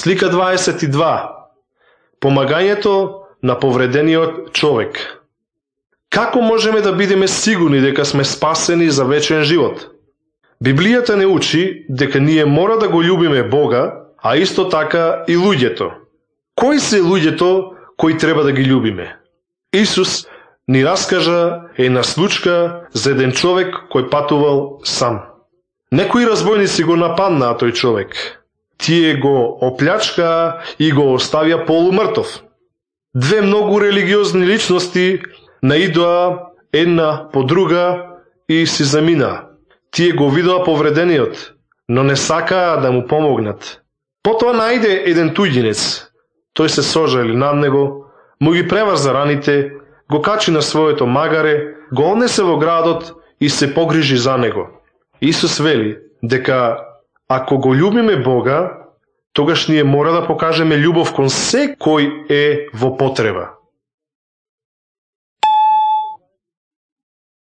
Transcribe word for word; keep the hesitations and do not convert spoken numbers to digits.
Слика дваесет и два. Помагањето на повредениот човек. Како можеме да бидеме сигурни дека сме спасени за вечен живот? Библијата не учи дека ние мора да го љубиме Бога, а исто така и луѓето. Кои се луѓето кои треба да ги љубиме? Исус ни раскажа една случка за еден човек кој патувал сам. Некои разбойници го нападнаа тој човек. Тие го оплячкаа и го оставија полумртов. Две многу религиозни личности наидоа една по друга и си заминаа. Тие го видоа повредениот, но не сакаа да му помогнат. Потоа најде еден туѓинец. Тој се сожали над него, му ги преврза раните, го качи на своето магаре, го однесе во градот и се погрижи за него. Исус вели дека ако го љубиме Бога, тогаш ние мора да покажеме љубов кон секој е во потреба.